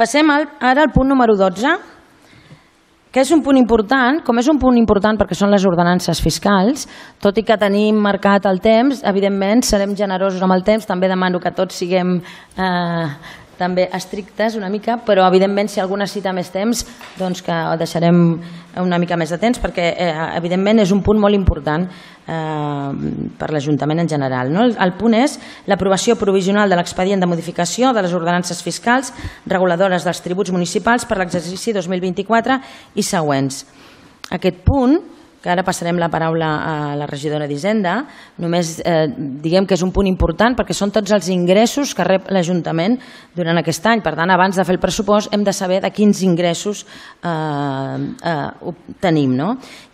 Passem ara al punt número 12, que és un punt important. Com és un punt important perquè són les ordenances fiscals, tot i que tenim marcat el temps, evidentment serem generosos amb el temps, també demano que tots siguem també estrictes una mica, però evidentment si algú necessita més temps doncs que deixarem una mica més de temps perquè evidentment és un punt molt important per l'Ajuntament en general. El punt és l'aprovació provisional de l'expedient de modificació de les ordenances fiscals reguladores dels tributs municipals per l'exercici 2024 i següents. Aquest punt, que ara passarem la paraula a la regidora d'Hisenda, només diguem que és un punt important perquè són tots els ingressos que rep l'Ajuntament durant aquest any. Per tant, abans de fer el pressupost hem de saber de quins ingressos tenim.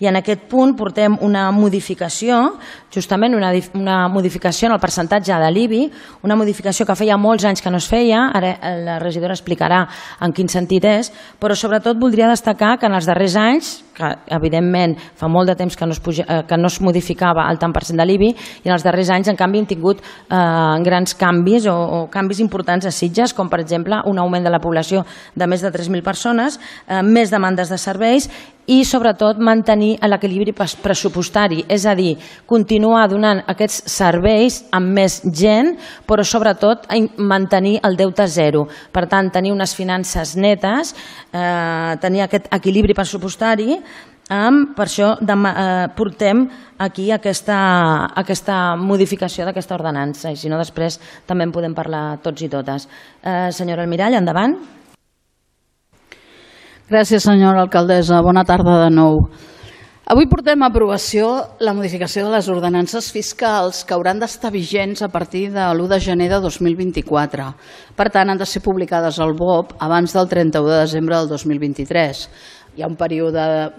I en aquest punt portem una modificació, justament una modificació en el percentatge de l'IBI, una modificació que feia molts anys que no es feia, ara la regidora explicarà en quin sentit és, però sobretot voldria destacar que en els darrers anys, que evidentment fa molt de temps que no es modificava el tant per cent de l'IBI, i en els darrers anys en canvi hem tingut grans canvis o canvis importants a Sitges, com per exemple un augment de la població de més de 3.000 persones, més demandes de serveis i sobretot mantenir l'equilibri pressupostari, és a dir, continuar donant aquests serveis amb més gent, però sobretot mantenir el deute zero. Per tant, tenir unes finances netes, tenir aquest equilibri pressupostari. Per això portem aquí aquesta modificació d'aquesta ordenança i si no després també en podem parlar tots i totes. Senyora Almirall, endavant. Gràcies, senyora alcaldessa. Bona tarda de nou. Avui portem a aprovació la modificació de les ordenances fiscals que hauran d'estar vigents a partir de l'1 de gener de 2024. Per tant, han de ser publicades al BOP abans del 31 de desembre del 2023. Hi ha un període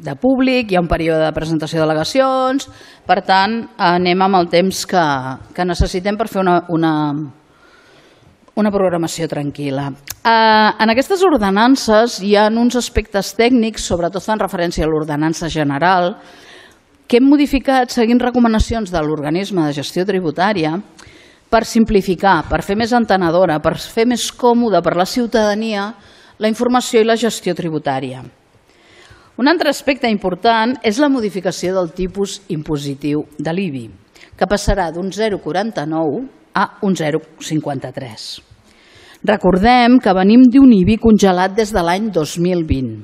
de públic, hi ha un període de presentació d'al·legacions, per tant, anem amb el temps que necessitem per fer una programació tranquil·la. En aquestes ordenances hi ha uns aspectes tècnics, sobretot fan referència a l'ordenança general, que hem modificat seguint recomanacions de l'organisme de gestió tributària per simplificar, per fer més entenedora, per fer més còmode per la ciutadania la informació i la gestió tributària. Un altre aspecte important és la modificació del tipus impositiu de l'IBI, que passarà d'un 0,49 a un 0,53. Recordem que venim d'un IBI congelat des de l'any 2020,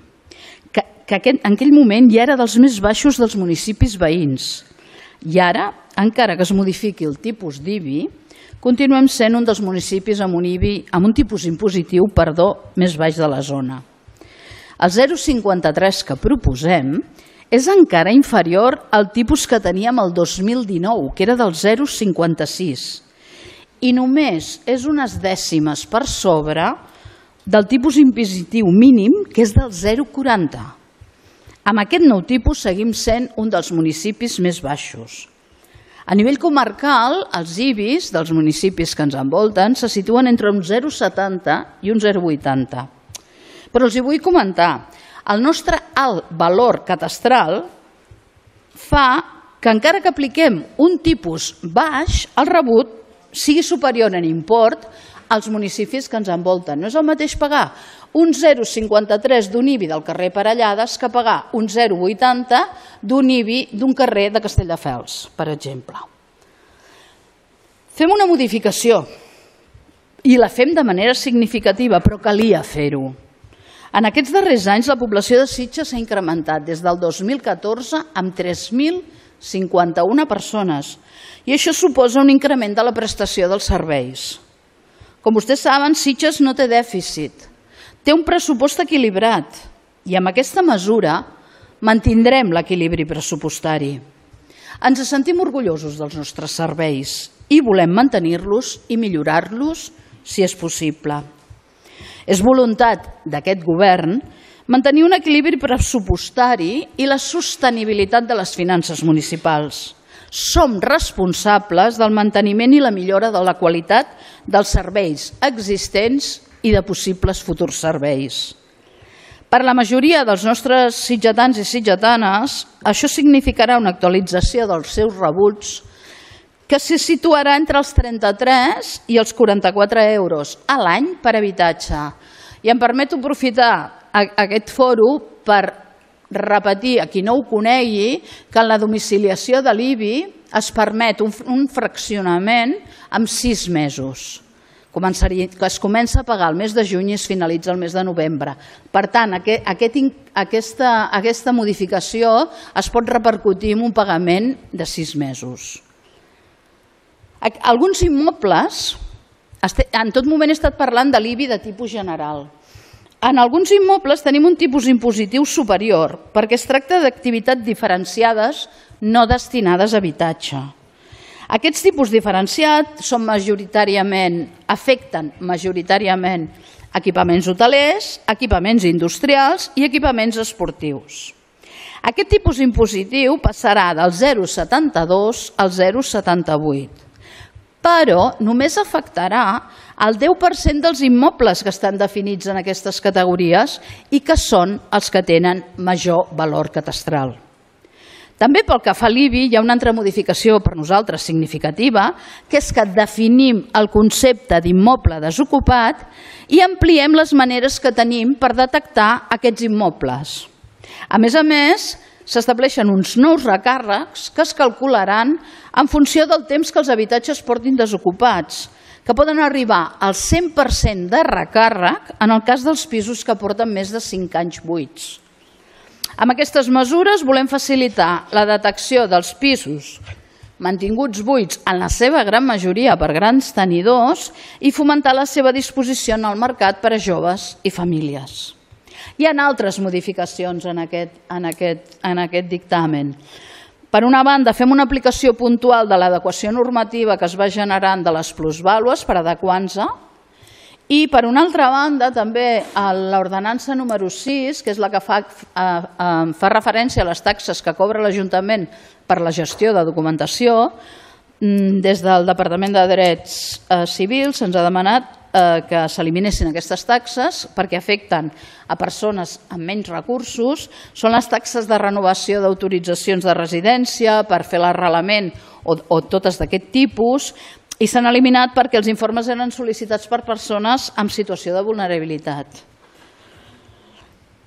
que en aquell moment ja era dels més baixos dels municipis veïns. I ara, encara que es modifiqui el tipus d'IBI, continuem sent un dels municipis amb un tipus impositiu més baix de la zona. El 0,53 que proposem és encara inferior al tipus que teníem el 2019, que era del 0,56, i només és unes dècimes per sobre del tipus impositiu mínim, que és del 0,40. Amb aquest nou tipus seguim sent un dels municipis més baixos. A nivell comarcal, els IBIs dels municipis que ens envolten se situen entre un 0,70 i un 0,80. Però els hi vull comentar, el nostre alt valor catastral fa que encara que apliquem un tipus baix, el rebut sigui superior en import als municipis que ens envolten. No és el mateix pagar un 0,53 d'un IBI del carrer Parellades que pagar un 0,80 d'un IBI d'un carrer de Castelldefels, per exemple. Fem una modificació i la fem de manera significativa, però calia fer-ho. En aquests darrers anys la població de Sitges s'ha incrementat des del 2014 amb 3.051 persones i això suposa un increment de la prestació dels serveis. Com vostès saben, Sitges no té dèficit, té un pressupost equilibrat i amb aquesta mesura mantindrem l'equilibri pressupostari. Ens sentim orgullosos dels nostres serveis i volem mantenir-los i millorar-los si és possible. És voluntat d'aquest govern mantenir un equilibri pressupostari i la sostenibilitat de les finances municipals. Som responsables del manteniment i la millora de la qualitat dels serveis existents i de possibles futurs serveis. Per la majoria dels nostres sitgetans i sitgetanes, això significarà una actualització dels seus rebuts que se situarà entre els 33 i els 44 euros a l'any per habitatge. I em permeto aprofitar aquest foro per repetir a qui no ho conegui que en la domiciliació de l'IBI es permet un fraccionament amb 6 mesos. Que es comença a pagar el mes de juny i es finalitza el mes de novembre. Per tant, aquesta modificació es pot repercutir en un pagament de 6 mesos. Alguns immobles, en tot moment he estat parlant de l'IBI de tipus general. En alguns immobles tenim un tipus impositiu superior perquè es tracta d'activitats diferenciades no destinades a habitatge. Aquests tipus diferenciats afecten majoritàriament equipaments hotelers, equipaments industrials i equipaments esportius. Aquest tipus impositiu passarà del 0,72 al 0,78, però només afectarà el 10% dels immobles que estan definits en aquestes categories i que són els que tenen major valor catastral. També pel que fa a l'IBI hi ha una altra modificació per nosaltres significativa, que és que definim el concepte d'immoble desocupat i ampliem les maneres que tenim per detectar aquests immobles. A més, s'estableixen uns nous recàrrecs que es calcularan en funció del temps que els habitatges portin desocupats, que poden arribar al 100% de recàrrec en el cas dels pisos que porten més de 5 anys buits. Amb aquestes mesures volem facilitar la detecció dels pisos mantinguts buits en la seva gran majoria per grans tenidors i fomentar la seva disposició en el mercat per a joves i famílies. Hi ha altres modificacions en aquest dictamen. Per una banda, fem una aplicació puntual de l'adequació normativa que es va generant de les plusvàlues per adequar-nos. I, per una altra banda, també l'ordenança número 6, que és la que fa referència a les taxes que cobra l'Ajuntament per la gestió de documentació, des del Departament de Drets Civils se'ns ha demanat que s'eliminessin aquestes taxes perquè afecten a persones amb menys recursos. Són les taxes de renovació d'autoritzacions de residència, per fer l'arrelament o totes d'aquest tipus, i s'han eliminat perquè els informes eren sol·licitats per persones en situació de vulnerabilitat.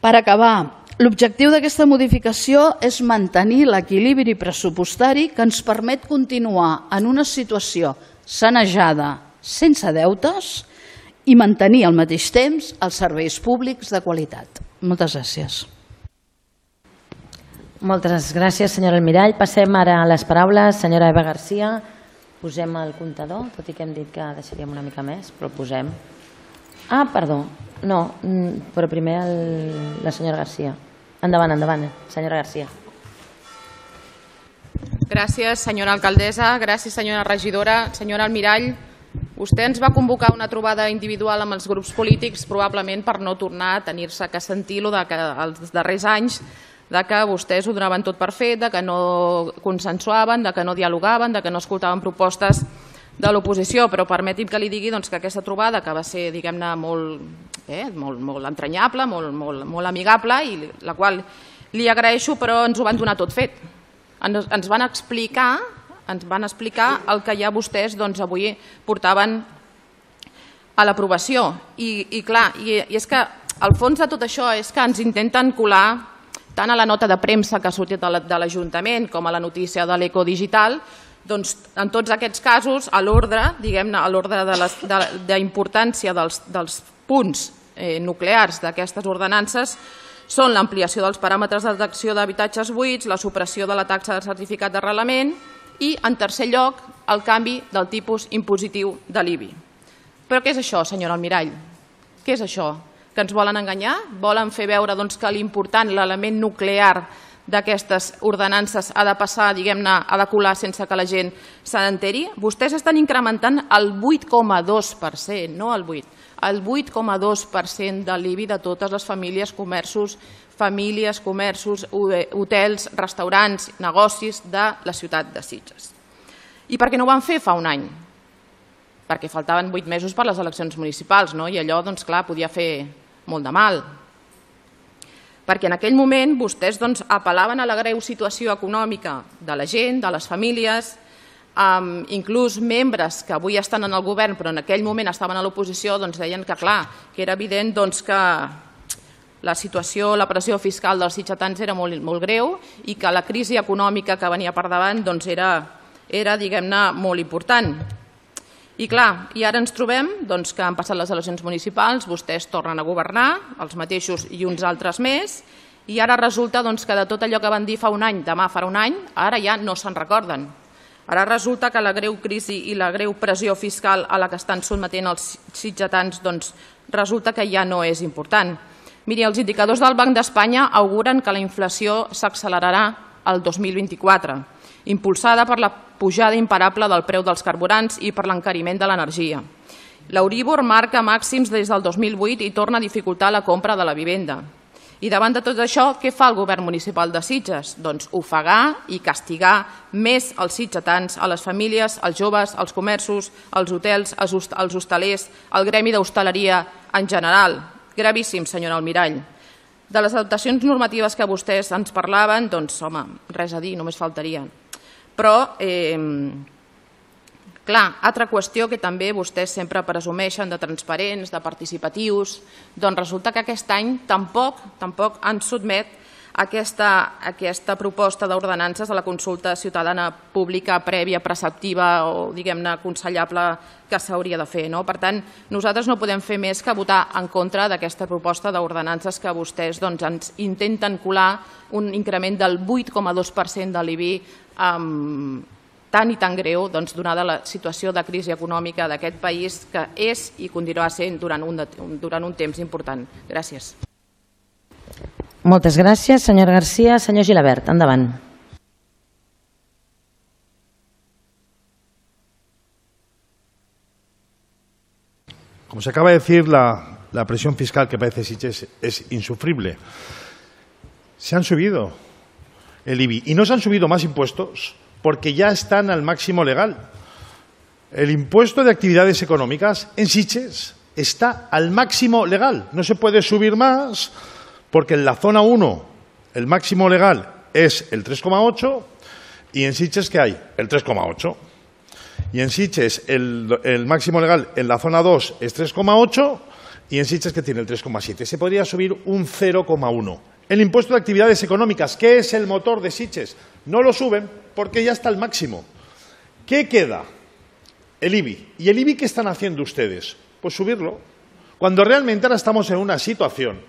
Per acabar, l'objectiu d'aquesta modificació és mantenir l'equilibri pressupostari que ens permet continuar en una situació sanejada, sense deutes, i mantenir al mateix temps els serveis públics de qualitat. Moltes gràcies. Moltes gràcies, senyora Almirall. Passem ara a les paraules. Senyora Eva Garcia, posem el comptador, tot i que hem dit que deixaríem una mica més, però el posem. Ah, perdó, no, però primer la senyora Garcia. Endavant, endavant, senyora Garcia. Gràcies, senyora alcaldessa, gràcies, senyora regidora. Senyora Almirall, vostè ens va convocar una trobada individual amb els grups polítics, probablement per no tornar a tenir-se que sentir que els darrers anys de que vostès ho donaven tot per fet, de que no consensuaven, de que no dialogaven, de que no escoltaven propostes de l'oposició. Però permeti'm que li digui que aquesta trobada, que va ser, diguem-ne, molt entranyable, molt amigable, i la qual li agraeixo, però ens ho van donar tot fet. Ens van explicar el que ja vostès avui portaven a l'aprovació. I clar, i és que el fons de tot això és que ens intenten colar tant a la nota de premsa que ha sortit de l'Ajuntament com a la notícia de l'Ecodigital, doncs en tots aquests casos a l'ordre, diguem-ne, a l'ordre d'importància dels punts nuclears d'aquestes ordenances són l'ampliació dels paràmetres de detecció d'habitatges buits, la supressió de la taxa de certificat d'arrelament i, en tercer lloc, el canvi del tipus impositiu de l'IBI. Però què és això, senyora Almirall? Què és això? Que ens volen enganyar? Volen fer veure que l'important, l'element nuclear d'aquestes ordenances ha de passar, diguem-ne, ha de colar sense que la gent se n'enteri? Vostès estan incrementant el 8,2%, no el 8%, el 8,2% de l'IBI de totes les famílies, comerços, hotels, restaurants, negocis de la ciutat de Sitges. I per què no ho van fer fa un any? Perquè faltaven 8 mesos per les eleccions municipals, i allò, doncs clar, podia fer molt de mal. Perquè en aquell moment vostès apel·laven a la greu situació econòmica de la gent, de les famílies, inclús membres que avui estan en el govern però en aquell moment estaven a l'oposició deien que clar, que era evident que la situació, la pressió fiscal dels sitgetans era molt greu i que la crisi econòmica que venia per davant era diguem-ne, molt important. I clar, i ara ens trobem que han passat les eleccions municipals, vostès tornen a governar, els mateixos i uns altres més, i ara resulta que de tot allò que van dir fa un any, demà farà un any, ara ja no se'n recorden. Ara resulta que la greu crisi i la greu pressió fiscal a la que estan sotmetent els sitgetans resulta que ja no és important. Miri, els indicadors del Banc d'Espanya auguren que la inflació s'accelerarà el 2024, impulsada per la pujada imparable del preu dels carburants i per l'encariment de l'energia. L'Euríbor marca màxims des del 2008 i torna a dificultar la compra de la vivenda. I davant de tot això, què fa el govern municipal de Sitges? Doncs ofegar i castigar més els sitgetans, a les famílies, als joves, als comerços, als hotels, als hostalers, al gremi d'hostaleria en general. Gravíssim, senyora Almirall. De les adaptacions normatives que vostès ens parlaven, home, res a dir, només faltaria. Però, clar, altra qüestió que també vostès sempre presumeixen de transparents, de participatius, resulta que aquest any tampoc han sotmet aquesta proposta d'ordenances a la consulta ciutadana pública prèvia, preceptiva o, diguem-ne, aconsellable que s'hauria de fer. Per tant, nosaltres no podem fer més que votar en contra d'aquesta proposta d'ordenances que vostès ens intenten colar un increment del 8,2% de l'IBI tan i tan greu donada la situació de crisi econòmica d'aquest país que és i continuarà sent durant un temps important. Gràcies. Moltes gràcies, senyora García. Senyor Gilabert, endavant. Como se acaba de decir, la presión fiscal que padece Sitges es insufrible. Se han subido el IBI y no se han subido más impuestos porque ya están al máximo legal. El impuesto de actividades económicas en Sitges está al máximo legal. No se puede subir más porque en la zona 1 el máximo legal es el 3,8 y en Sitges, ¿qué hay? El 3,8. Y en Sitges el máximo legal en la zona 2 es 3,8 y en Sitges, que tiene el 3,7. Se podría subir un 0,1. El impuesto de actividades económicas, que es el motor de Sitges, no lo suben porque ya está al máximo. ¿Qué queda? El IBI. ¿Y el IBI qué están haciendo ustedes? Pues subirlo. Cuando realmente ahora estamos en una situación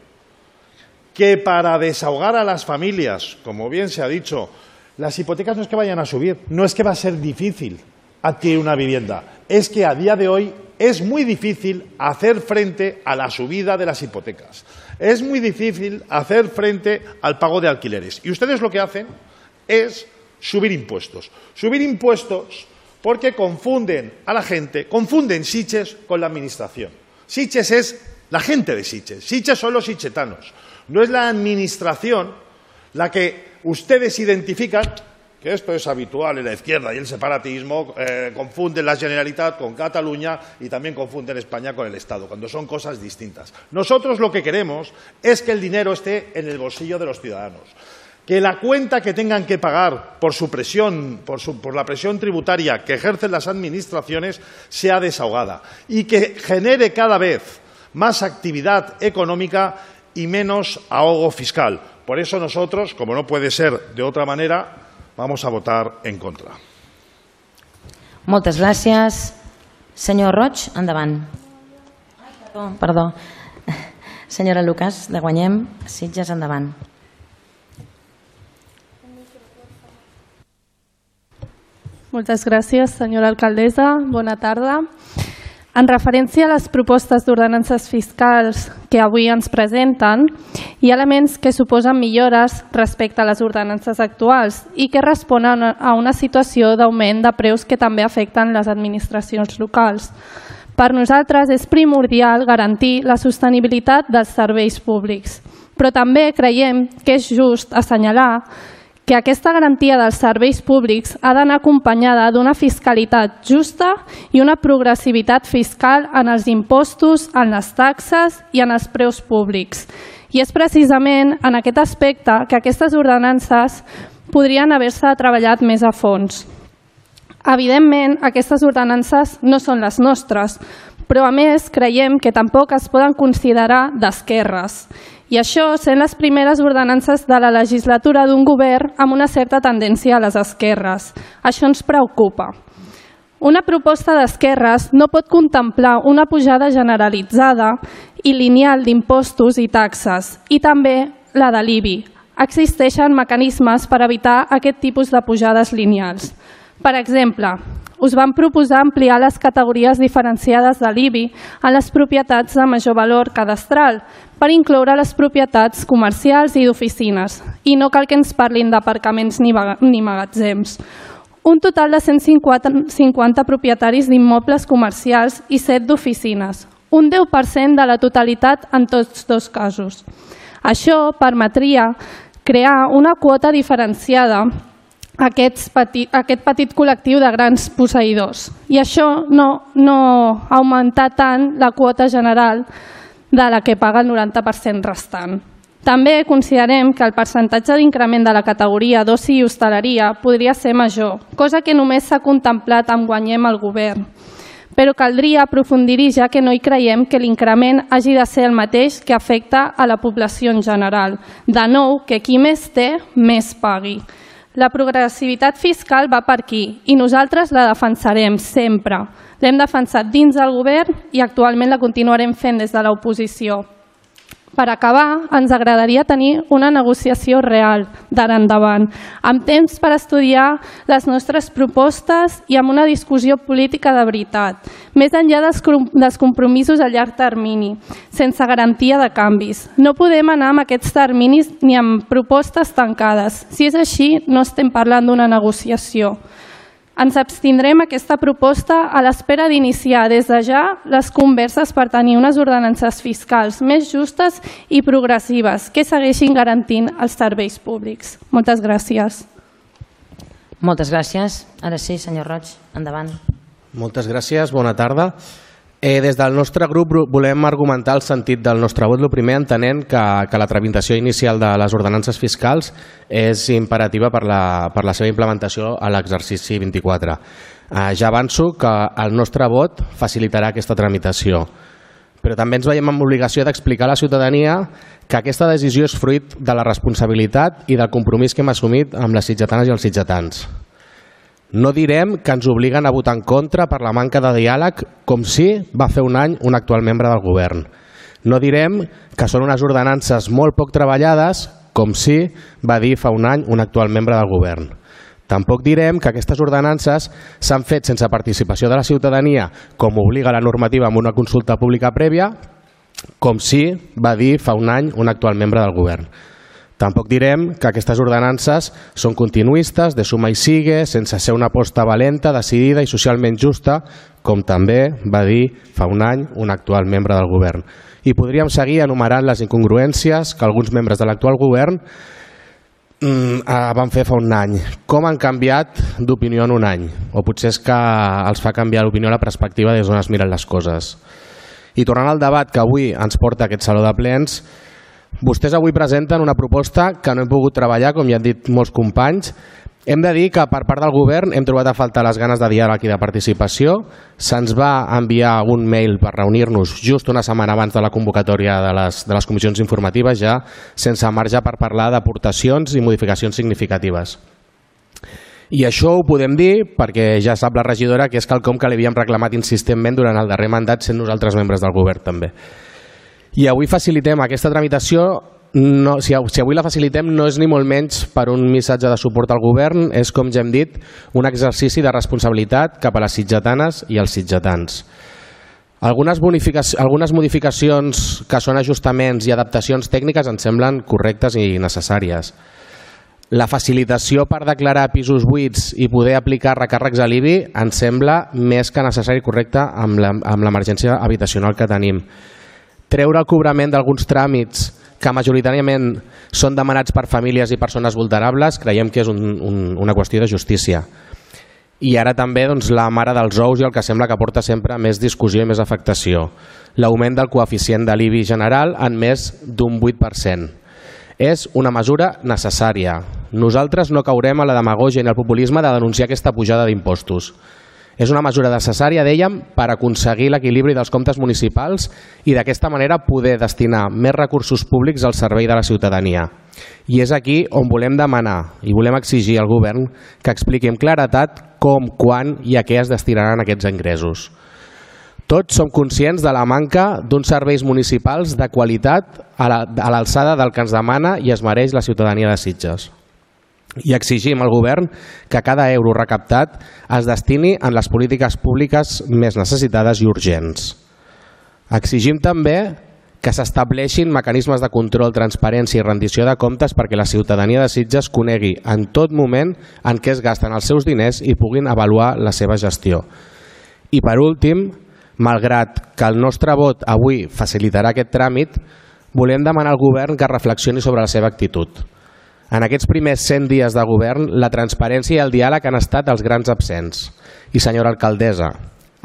que para desahogar a las familias, como bien se ha dicho, las hipotecas no es que vayan a subir, no es que va a ser difícil adquirir una vivienda, es que a día de hoy es muy difícil hacer frente a la subida de las hipotecas, es muy difícil hacer frente al pago de alquileres. Y ustedes lo que hacen es subir impuestos porque confunden a la gente, confunden Sitges con la administración. Sitges es la gente de Sitges, Sitges son los sitgetanos. No es la administración la que ustedes identifican, que esto es habitual en la izquierda y el separatismo, confunden la Generalitat con Cataluña y también confunden España con el Estado, cuando son cosas distintas. Nosotros lo que queremos es que el dinero esté en el bolsillo de los ciudadanos, que la cuenta que tengan que pagar por su presión, por la presión tributaria que ejercen las administraciones sea desahogada y que genere cada vez más actividad económica y menos ahogo fiscal. Por eso nosotros, como no puede ser de otra manera, vamos a votar en contra. Moltes gràcies. Senyor Roig, endavant. Perdó. Senyora Lucas, de Guanyem, Sitges, endavant. Moltes gràcies, senyora alcaldessa. Bona tarda. En referència a les propostes d'ordenances fiscals que avui ens presenten, hi ha elements que suposen millores respecte a les ordenances actuals i que responen a una situació d'augment de preus que també afecten les administracions locals. Per nosaltres és primordial garantir la sostenibilitat dels serveis públics, però també creiem que és just assenyalar que aquesta garantia dels serveis públics ha d'anar acompanyada d'una fiscalitat justa i una progressivitat fiscal en els impostos, en les taxes i en els preus públics. I és precisament en aquest aspecte que aquestes ordenances podrien haver-se treballat més a fons. Evidentment, aquestes ordenances no són les nostres, però a més creiem que tampoc es poden considerar d'esquerres. I això sent les primeres ordenances de la legislatura d'un govern amb una certa tendència a les esquerres. Això ens preocupa. Una proposta d'esquerres no pot contemplar una pujada generalitzada i lineal d'impostos i taxes, i també la de l'IBI. Existeixen mecanismes per evitar aquest tipus de pujades lineals. Per exemple, us vam proposar ampliar les categories diferenciades de l'IBI en les propietats de major valor cadastral per incloure les propietats comercials i d'oficines. I no cal que ens parlin d'aparcaments ni magatzems. Un total de 150 propietaris d'immobles comercials i 7 d'oficines. Un 10% de la totalitat en tots dos casos. Això permetria crear una quota diferenciada a aquest petit col·lectiu de grans posseïdors. I això no augmentar tant la quota general de la que paga el 90% restant. També considerem que el percentatge d'increment de la categoria d'oci i hostaleria podria ser major, cosa que només s'ha contemplat amb Guanyem el govern. Però caldria aprofundir-hi, ja que no hi creiem que l'increment hagi de ser el mateix que afecta a la població en general. De nou, que qui més té, més pagui. La progressivitat fiscal va per aquí i nosaltres la defensarem sempre. L'hem defensat dins del govern i actualment la continuarem fent des de l'oposició. Per acabar, ens agradaria tenir una negociació real d'ara endavant, amb temps per estudiar les nostres propostes i amb una discussió política de veritat, més enllà dels compromisos a llarg termini, sense garantia de canvis. No podem anar amb aquests terminis ni amb propostes tancades. Si és així, no estem parlant d'una negociació. Ens abstindrem aquesta proposta a l'espera d'iniciar des de ja les converses per tenir unes ordenances fiscals més justes i progressives que segueixin garantint els serveis públics. Moltes gràcies. Moltes gràcies. Ara sí, senyor Roig, endavant. Moltes gràcies, bona tarda. Des del nostre grup volem argumentar el sentit del nostre vot. El primer, entenent que la tramitació inicial de les ordenances fiscals és imperativa per la seva implementació a l'exercici 24. Ja avanço que el nostre vot facilitarà aquesta tramitació, però també ens veiem amb l'obligació d'explicar a la ciutadania que aquesta decisió és fruit de la responsabilitat i del compromís que hem assumit amb les sitgetanes i els sitgetans. No direm que ens obliguen a votar en contra per la manca de diàleg, com si va fer un any un actual membre del govern. No direm que són unes ordenances molt poc treballades, com si va dir fa un any un actual membre del govern. Tampoc direm que aquestes ordenances s'han fet sense participació de la ciutadania, com obliga la normativa amb una consulta pública prèvia, com si va dir fa un any un actual membre del govern. Tampoc direm que aquestes ordenances són continuistes, de suma i sigue, sense ser una aposta valenta, decidida i socialment justa, com també va dir fa un any un actual membre del govern. I podríem seguir enumerant les incongruències que alguns membres de l'actual govern van fer fa un any. Com han canviat d'opinió en un any? O potser és que els fa canviar l'opinió a la perspectiva des d'on es miren les coses. I tornant al debat que avui ens porta aquest Saló de Plens, vostès avui presenten una proposta que no hem pogut treballar, com ja han dit molts companys. Hem de dir que per part del govern hem trobat a faltar les ganes de diàleg i de participació. Se'ns va enviar un mail per reunir-nos just una setmana abans de la convocatòria de les comissions informatives, ja sense marge per parlar d'aportacions i modificacions significatives. I això ho podem dir perquè ja sap la regidora que és quelcom que li havíem reclamat insistentment durant el darrer mandat, sent nosaltres membres del govern també. I avui facilitem aquesta tramitació, si avui la facilitem no és ni molt menys per un missatge de suport al govern, és, com ja hem dit, un exercici de responsabilitat cap a les sitgetanes i els sitgetans. Algunes modificacions que són ajustaments i adaptacions tècniques ens semblen correctes i necessàries. La facilitació per declarar pisos buits i poder aplicar recàrrecs a l'IBI ens sembla més que necessari i correcte amb l'emergència habitacional que tenim. Treure el cobrament d'alguns tràmits que majoritàriament són demanats per famílies i persones vulnerables creiem que és una qüestió de justícia. I ara també la mare dels ous i el que sembla que porta sempre més discussió i més afectació. L'augment del coeficient de l'IBI general en més d'un 8%. És una mesura necessària, Nosaltres no caurem a la demagògia ni al populisme de denunciar aquesta pujada d'impostos. És una mesura necessària, dèiem, per aconseguir l'equilibri dels comptes municipals i d'aquesta manera poder destinar més recursos públics al servei de la ciutadania. I és aquí on volem demanar i volem exigir al govern que expliqui amb claredat com, quan i a què es destinaran aquests ingressos. Tots som conscients de la manca d'uns serveis municipals de qualitat a l'alçada del que ens demana i es mereix la ciutadania de Sitges. I exigim al govern que cada euro recaptat es destini en les polítiques públiques més necessitades i urgents. Exigim també que s'estableixin mecanismes de control, transparència i rendició de comptes perquè la ciutadania de Sitges conegui en tot moment en què es gasten els seus diners i puguin avaluar la seva gestió. I per últim, malgrat que el nostre vot avui facilitarà aquest tràmit, volem demanar al govern que reflexioni sobre la seva actitud. En aquests primers 100 dies de govern, la transparència i el diàleg han estat els grans absents. I, senyora alcaldessa,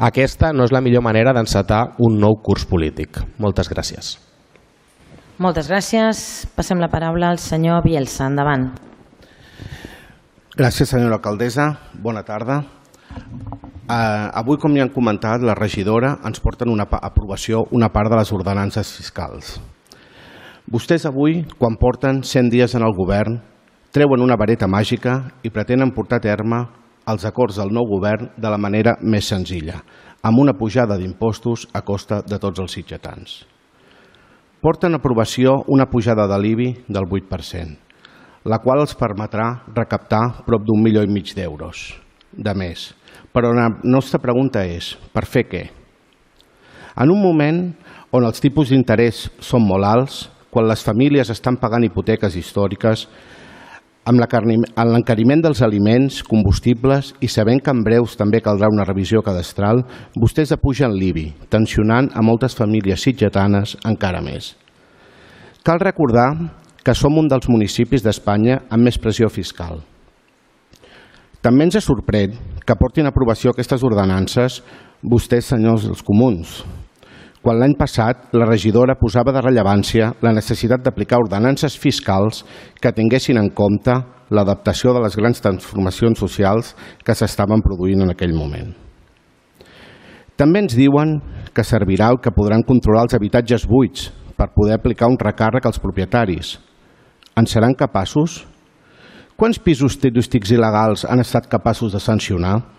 aquesta no és la millor manera d'encetar un nou curs polític. Moltes gràcies. Moltes gràcies. Passem la paraula al senyor Bielsa. Endavant. Gràcies, senyora alcaldessa. Bona tarda. Avui, com ja han comentat, la regidora ens porta en aprovació una part de les ordenances fiscals. Vostès avui, quan porten 100 dies en el govern, treuen una vareta màgica i pretenen portar a terme els acords del nou govern de la manera més senzilla, amb una pujada d'impostos a costa de tots els sitgetans. Porten a aprovació una pujada de l'IBI del 8%, la qual els permetrà recaptar prop d'1,5 milió d'euros de més. Però la nostra pregunta és, per fer què? En un moment on els tipus d'interès són molt alts, quan les famílies estan pagant hipoteques històriques, amb l'encariment dels aliments, combustibles i sabent que en breus també caldrà una revisió cadastral, vostès apugen l'IBI, tensionant a moltes famílies sitgetanes encara més. Cal recordar que som un dels municipis d'Espanya amb més pressió fiscal. També ens sorprèn que portin a aprovació aquestes ordenances vostès, senyors dels comuns, quan l'any passat la regidora posava de rellevància la necessitat d'aplicar ordenances fiscals que tinguessin en compte l'adaptació de les grans transformacions socials que s'estaven produint en aquell moment. També ens diuen que servirà el que podran controlar els habitatges buits per poder aplicar un recàrrec als propietaris. En seran capaços? Quants pisos turístics il·legals han estat capaços de sancionar?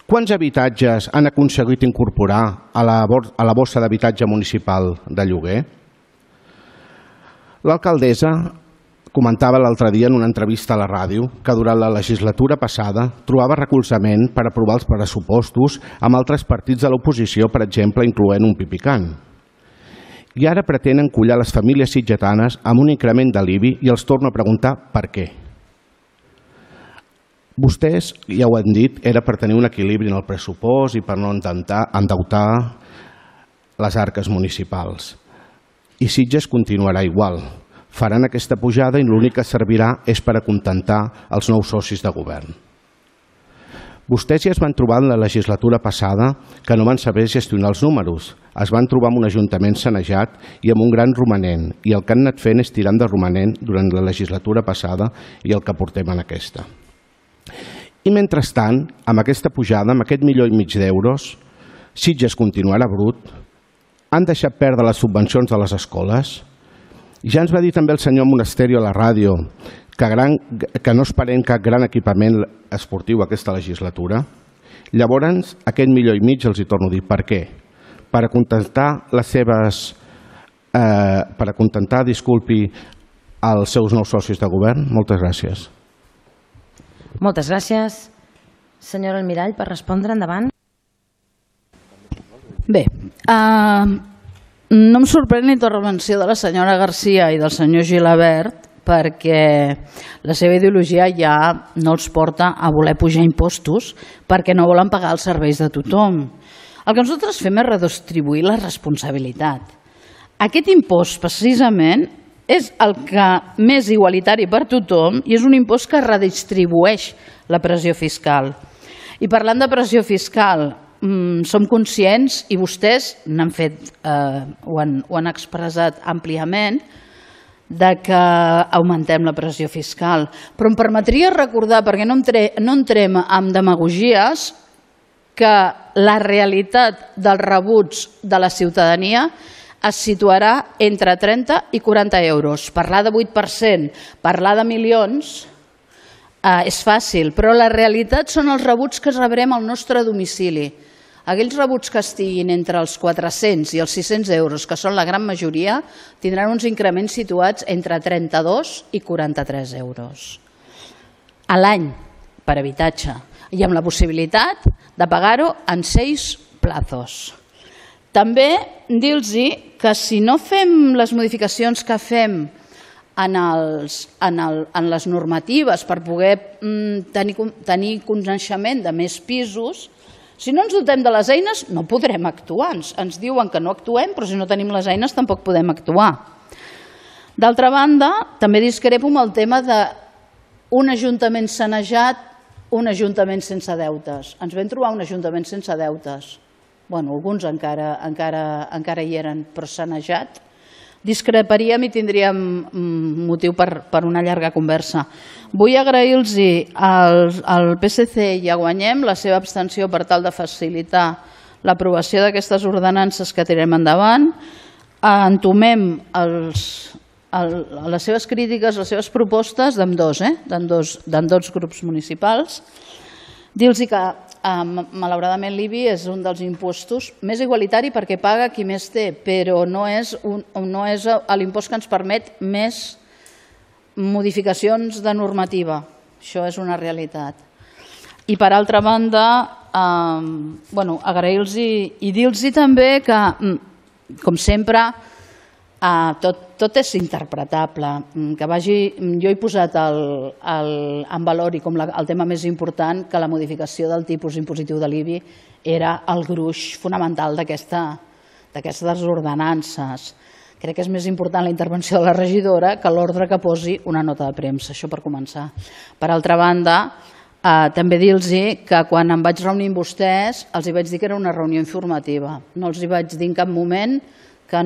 Quants habitatges han aconseguit incorporar a la bossa d'habitatge municipal de lloguer? L'alcaldessa comentava l'altre dia en una entrevista a la ràdio que durant la legislatura passada trobava recolzament per aprovar els pressupostos amb altres partits de l'oposició, per exemple, incloent un pipicant. I ara pretenen collar les famílies sitgetanes amb un increment de l'IBI i els torno a preguntar per què. Vostès, ja ho han dit, era per tenir un equilibri en el pressupost i per no endeutar les arques municipals. I Sitges continuarà igual. Faran aquesta pujada i l'únic que servirà és per acontentar els nous socis de govern. Vostès ja es van trobar en la legislatura passada que no van saber gestionar els números. Es van trobar amb un ajuntament sanejat i amb un gran romanent, i el que han anat fent és tirant de romanent durant la legislatura passada i el que portem en aquesta. I mentrestant, amb aquesta pujada, amb aquest 1,5 milió d'euros, Sitges continuarà brut, han deixat perdre les subvencions de les escoles. Ja ens va dir també el senyor Monasterio a la ràdio que no esperem cap gran equipament esportiu aquesta legislatura. Llavors, aquest 1,5 milió els hi torno a dir. Per què? Per acontentar els seus nous socis de govern? Moltes gràcies. Moltes gràcies. Senyora Almirall, per respondre, endavant. Bé, no em sorprèn la intervenció de la senyora Garcia i del senyor Gilabert perquè la seva ideologia ja no els porta a voler pujar impostos perquè no volen pagar els serveis de tothom. El que nosaltres fem és redistribuir la responsabilitat. Aquest impost, precisament, és el que més igualitari per tothom i és un impost que redistribueix la pressió fiscal. I parlant de pressió fiscal, som conscients, i vostès n'han fet, ho han expressat àmpliament, que augmentem la pressió fiscal. Però em permetria recordar, perquè no entrem en demagogies, que la realitat dels rebuts de la ciutadania es situarà entre 30 i 40 euros. Parlar de 8%, parlar de milions és fàcil, però la realitat són els rebuts que rebrem al nostre domicili. Aquells rebuts que estiguin entre els 400 i els 600 euros, que són la gran majoria, tindran uns increments situats entre 32 i 43 euros a l'any per habitatge, i amb la possibilitat de pagar-ho en 6 plazos. També dir-los que si no fem les modificacions que fem en les normatives per poder tenir coneixement de més pisos, si no ens dotem de les eines no podrem actuar. Ens diuen que no actuem, però si no tenim les eines tampoc podem actuar. D'altra banda, també discrepo amb el tema d'un ajuntament sanejat, un ajuntament sense deutes. Ens vam trobar un ajuntament sense deutes. Bueno, alguns encara hi eren, però sanejat. Discreparíem i tindríem motiu per una llarga conversa. Vull agrair-los al PSC i a Guanyem la seva abstenció per tal de facilitar l'aprovació d'aquestes ordenances que tirem endavant. Entomem les seves crítiques, les seves propostes d'ambdós grups municipals. Dir-los que malauradament l'IBI és un dels impostos més igualitari perquè paga qui més té, però no és l'impost que ens permet més modificacions de normativa. Això és una realitat. I per altra banda, agrair-los i dir-los també que, com sempre, tot és interpretable. Jo he posat en valor i com el tema més important que la modificació del tipus impositiu de l'IBI era el gruix fonamental d'aquestes ordenances. Crec que és més important la intervenció de la regidora que l'ordre que posi una nota de premsa, això per començar. Per altra banda, també dir-los que quan em vaig reunir amb vostès els vaig dir que era una reunió informativa. No els vaig dir en cap moment que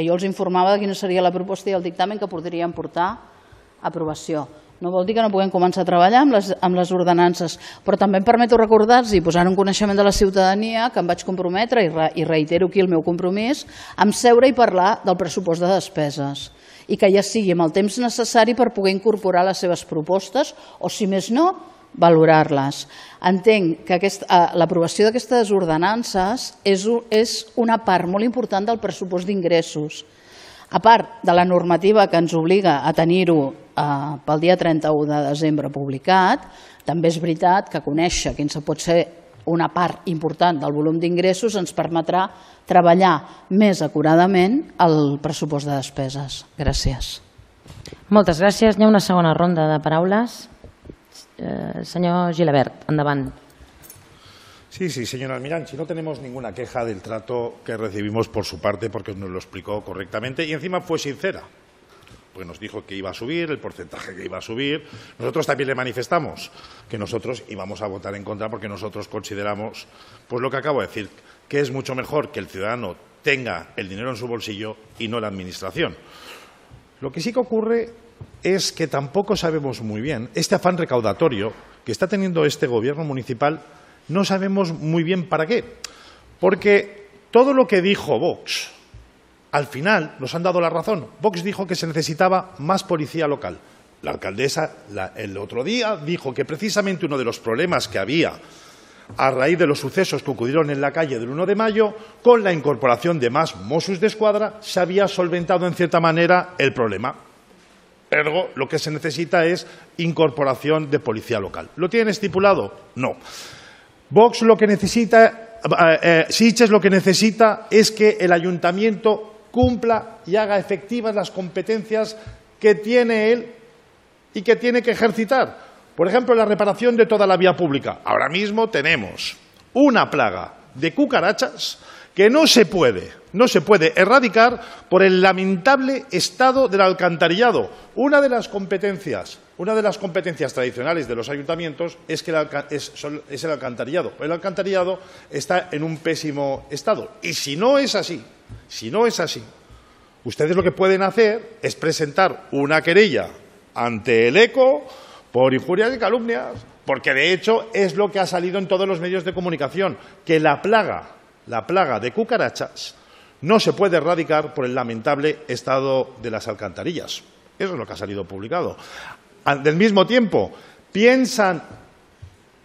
jo els informava de quina seria la proposta i el dictamen que podrien portar a aprovació. No vol dir que no puguem començar a treballar amb les ordenances, però també em permeto recordar-los i posar en coneixement de la ciutadania que em vaig comprometre, i reitero aquí el meu compromís, amb seure i parlar del pressupost de despeses i que ja sigui amb el temps necessari per poder incorporar les seves propostes o, si més no, valorar-les. Entenc que l'aprovació d'aquestes ordenances és una part molt important del pressupost d'ingressos. A part de la normativa que ens obliga a tenir-ho pel dia 31 de desembre publicat, també és veritat que conèixer quin pot ser una part important del volum d'ingressos ens permetrà treballar més acuradament el pressupost de despeses. Gràcies. Moltes gràcies. Hi ha una segona ronda de paraules. Señor Gilabert, endavant. Sí, señor Almirán, si no tenemos ninguna queja del trato que recibimos por su parte, porque nos lo explicó correctamente y encima fue sincera, porque nos dijo que iba a subir, el porcentaje que iba a subir. Nosotros también le manifestamos que nosotros íbamos a votar en contra porque nosotros consideramos, pues lo que acabo de decir, que es mucho mejor que el ciudadano tenga el dinero en su bolsillo y no la administración. Lo que sí que ocurre es que tampoco sabemos muy bien, este afán recaudatorio que está teniendo este gobierno municipal, no sabemos muy bien para qué. Porque todo lo que dijo Vox, al final nos han dado la razón. Vox dijo que se necesitaba más policía local. La alcaldesa el otro día dijo que precisamente uno de los problemas que había a raíz de los sucesos que ocurrieron en la calle del 1 de mayo, con la incorporación de más Mossos d'Esquadra, se había solventado en cierta manera el problema. Ergo, lo que se necesita es incorporación de policía local. ¿Lo tienen estipulado? No. Vox lo que necesita, Sitges lo que necesita es que el ayuntamiento cumpla y haga efectivas las competencias que tiene él y que tiene que ejercitar. Por ejemplo, la reparación de toda la vía pública. Ahora mismo tenemos una plaga de cucarachas que no se puede erradicar por el lamentable estado del alcantarillado. Una de las competencias tradicionales de los ayuntamientos es el alcantarillado. El alcantarillado está en un pésimo estado. Y si no es así, Ustedes lo que pueden hacer es presentar una querella ante el ECO por injurias y calumnias, porque de hecho es lo que ha salido en todos los medios de comunicación, que la plaga de cucarachas no se puede erradicar por el lamentable estado de las alcantarillas. Eso es lo que ha salido publicado. Del mismo tiempo, ¿piensan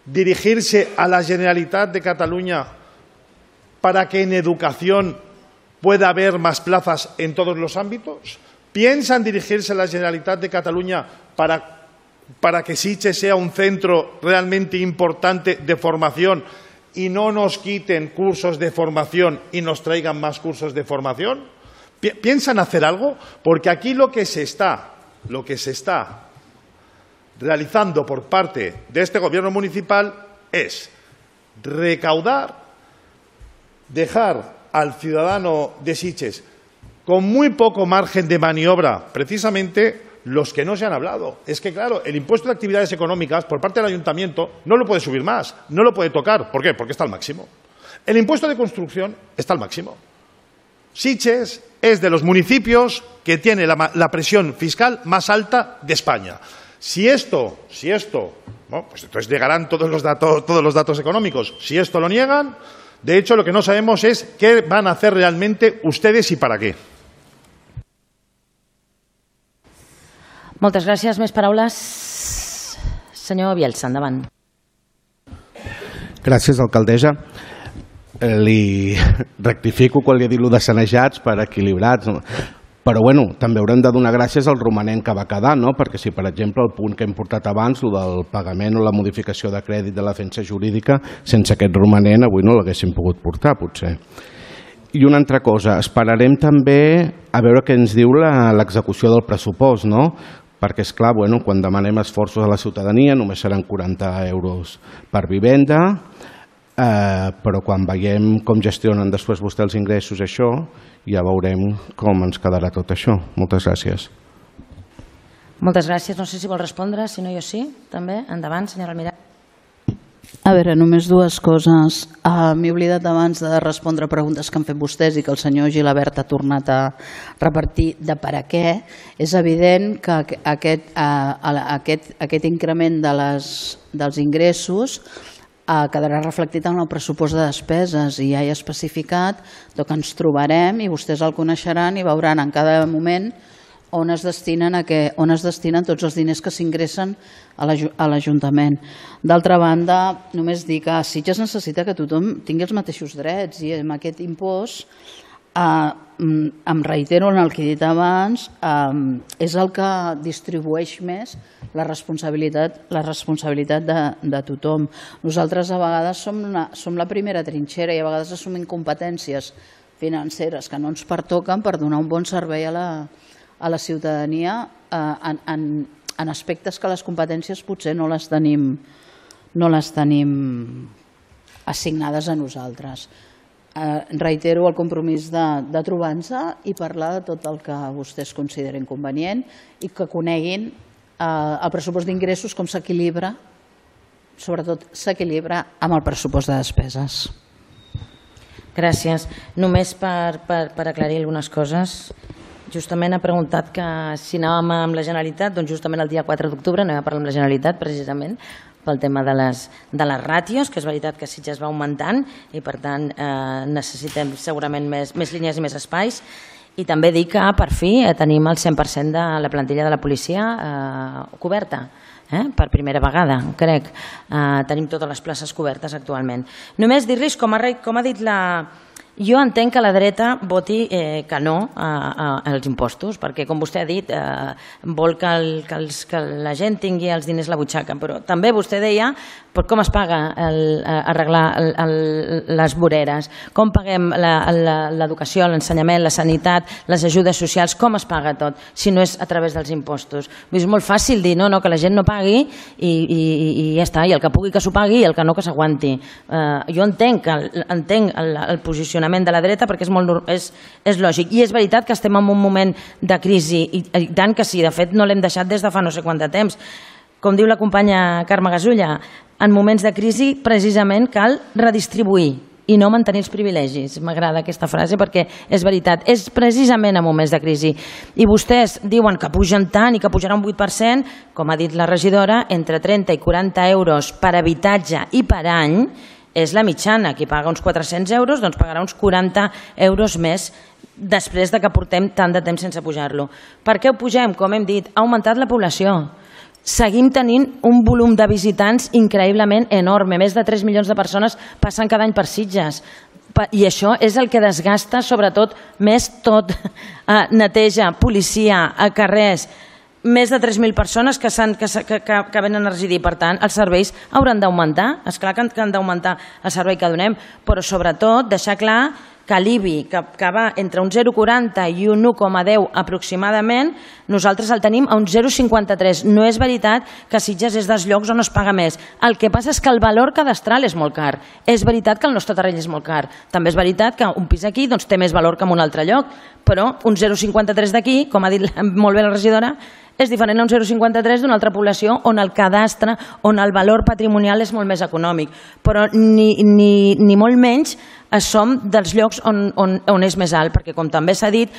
dirigirse a la Generalitat de Cataluña para que en educación pueda haber más plazas en todos los ámbitos? ¿Piensan dirigirse a la Generalitat de Cataluña para que Sitges sea un centro realmente importante de formación y no nos quiten cursos de formación y nos traigan más cursos de formación? ¿Piensan hacer algo? Porque aquí lo que se está realizando por parte de este gobierno municipal es recaudar, dejar al ciudadano de Sitges con muy poco margen de maniobra, precisamente los que no se han hablado. Es que, claro, el impuesto de actividades económicas por parte del ayuntamiento no lo puede subir más, no lo puede tocar. ¿Por qué? Porque está al máximo. El impuesto de construcción está al máximo. Sitges es de los municipios que tiene la presión fiscal más alta de España. Si esto, bueno, pues entonces llegarán todos los datos económicos. Si esto lo niegan, de hecho, lo que no sabemos es qué van a hacer realmente ustedes y para qué. Moltes gràcies. Més paraules? Senyor Bielsa, endavant. Gràcies, alcaldessa. Li rectifico quan li he dit allò de sanejats per equilibrats, però bueno, també haurem de donar gràcies al romanent que va quedar, no? Perquè si, per exemple, el punt que hem portat abans, el del pagament o la modificació de crèdit de la defensa jurídica, sense aquest romanent avui no l'haguéssim pogut portar, potser. I una altra cosa, esperarem també a veure què ens diu l'execució del pressupost, no? Perquè, esclar, bueno, quan demanem esforços a la ciutadania només seran 40 euros per vivenda, però quan veiem com gestionen després vostè els ingressos, això, ja veurem com ens quedarà tot això. Moltes gràcies. Moltes gràcies. No sé si vol respondre, si no jo sí, també. Endavant, senyora Almirall. A veure, només dues coses. M'he oblidat abans de respondre preguntes que han fet vostès i que el senyor Gilabert ha tornat a repartir de per a què. És evident que aquest increment dels ingressos quedarà reflectit en el pressupost de despeses i ja he especificat que ens trobarem i vostès el coneixeran i veuran en cada moment on es destinen tots els diners que s'ingressen a l'Ajuntament. D'altra banda, només dir que Sitges necessita que tothom tingui els mateixos drets i amb aquest impost, em reitero en el que he dit abans, és el que distribueix més la responsabilitat de tothom. Nosaltres a vegades som la primera trinxera i a vegades assumim competències financeres que no ens pertoquen per donar un bon servei a la ciutadania en aspectes que les competències potser no les tenim assignades a nosaltres. Reitero el compromís de trobar-nos i parlar de tot el que vostès consideren convenient i que coneguin el pressupost d'ingressos com s'equilibra, sobretot s'equilibra amb el pressupost de despeses. Gràcies. Només per aclarir algunes coses. Justament ha preguntat que si anàvem amb la Generalitat, doncs justament el dia 4 d'octubre anem a parlar amb la Generalitat precisament pel tema de les ràtios, que és veritat que Sitges va augmentant i per tant necessitem segurament més línies i més espais. I també dir que per fi tenim el 100% de la plantilla de la policia coberta. Per primera vegada, crec. Tenim totes les places cobertes actualment. Només dir-los, com ha dit la... Jo entenc que la dreta voti que no als impostos, perquè, com vostè ha dit, vol que la gent tingui els diners a la butxaca, però també vostè deia com es paga arreglar les voreres, com paguem l'educació, l'ensenyament, la sanitat, les ajudes socials, com es paga tot, si no és a través dels impostos. És molt fàcil dir que la gent no pagui i ja està, i el que pugui que s'ho pagui i el que no que s'aguanti. Jo entenc el posicionament de la dreta perquè és lògic i és veritat que estem en un moment de crisi i tant que sí, de fet no l'hem deixat des de fa no sé quant de temps. Com diu la companya Carme Gasulla, en moments de crisi precisament cal redistribuir i no mantenir els privilegis. M'agrada aquesta frase perquè és veritat, és precisament en moments de crisi. I vostès diuen que pugen tant i que pujarà un 8%, com ha dit la regidora, entre 30 i 40 euros per habitatge i per any és la mitjana. Qui paga uns 400 euros doncs pagarà uns 40 euros més després de que portem tant de temps sense pujar-lo. Per què ho pugem? Com hem dit, ha augmentat la població. Seguim tenint un volum de visitants increïblement enorme. Més de 3 milions de persones passen cada any per Sitges. I això és el que desgasta, sobretot, més tot. Neteja, policia, a carrers, més de 3.000 persones que venen a residir. Per tant, els serveis hauran d'augmentar. És clar que han d'augmentar el servei que donem, però sobretot deixar clar que l'IBI, que va entre un 0,40 i un 1,10 aproximadament, nosaltres el tenim a un 0,53. No és veritat que Sitges és dels llocs on es paga més. El que passa és que el valor cadastral és molt car. És veritat que el nostre terreny és molt car. També és veritat que un pis aquí té més valor que en un altre lloc, però un 0,53 d'aquí, com ha dit molt bé la regidora, és diferent a un 0,53 d'una altra població on el cadastre, on el valor patrimonial és molt més econòmic. Però ni molt menys som dels llocs on és més alt, perquè com també s'ha dit,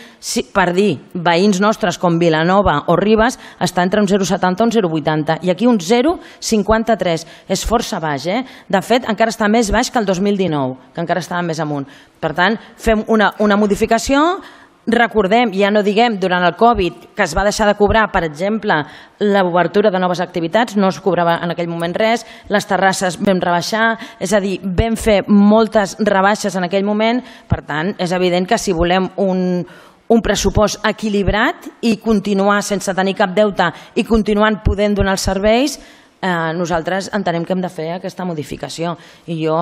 per dir veïns nostres com Vilanova o Ribes està entre un 0,70 i un 0,80 i aquí un 0,53. És força baix, De fet, encara està més baix que el 2019, que encara estava més amunt. Per tant, fem una modificació. Recordem, ja no diguem durant el Covid, que es va deixar de cobrar, per exemple, l'obertura de noves activitats, no es cobrava en aquell moment res, les terrasses vam rebaixar, és a dir, vam fer moltes rebaixes en aquell moment. Per tant, és evident que si volem un pressupost equilibrat i continuar sense tenir cap deute i continuant podent donar els serveis, nosaltres entenem que hem de fer aquesta modificació. I jo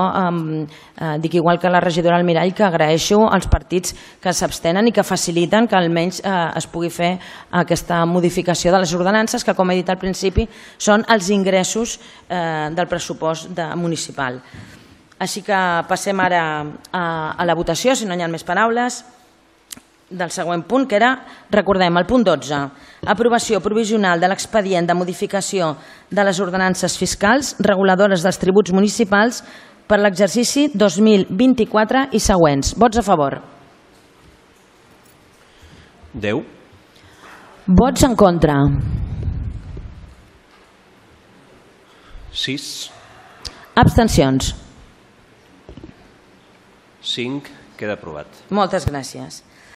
dic igual que la regidora Almirall que agraeixo als partits que s'abstenen i que faciliten que almenys es pugui fer aquesta modificació de les ordenances que, com he dit al principi, són els ingressos del pressupost municipal. Així que passem ara a la votació, si no hi ha més paraules, del següent punt, que era, recordem, el punt 12, aprovació provisional de l'expedient de modificació de les ordenances fiscals reguladores dels tributs municipals per l'exercici 2024 i següents. Vots a favor. 10. Vots en contra. 6. Abstencions. 5. Queda aprovat. Moltes gràcies.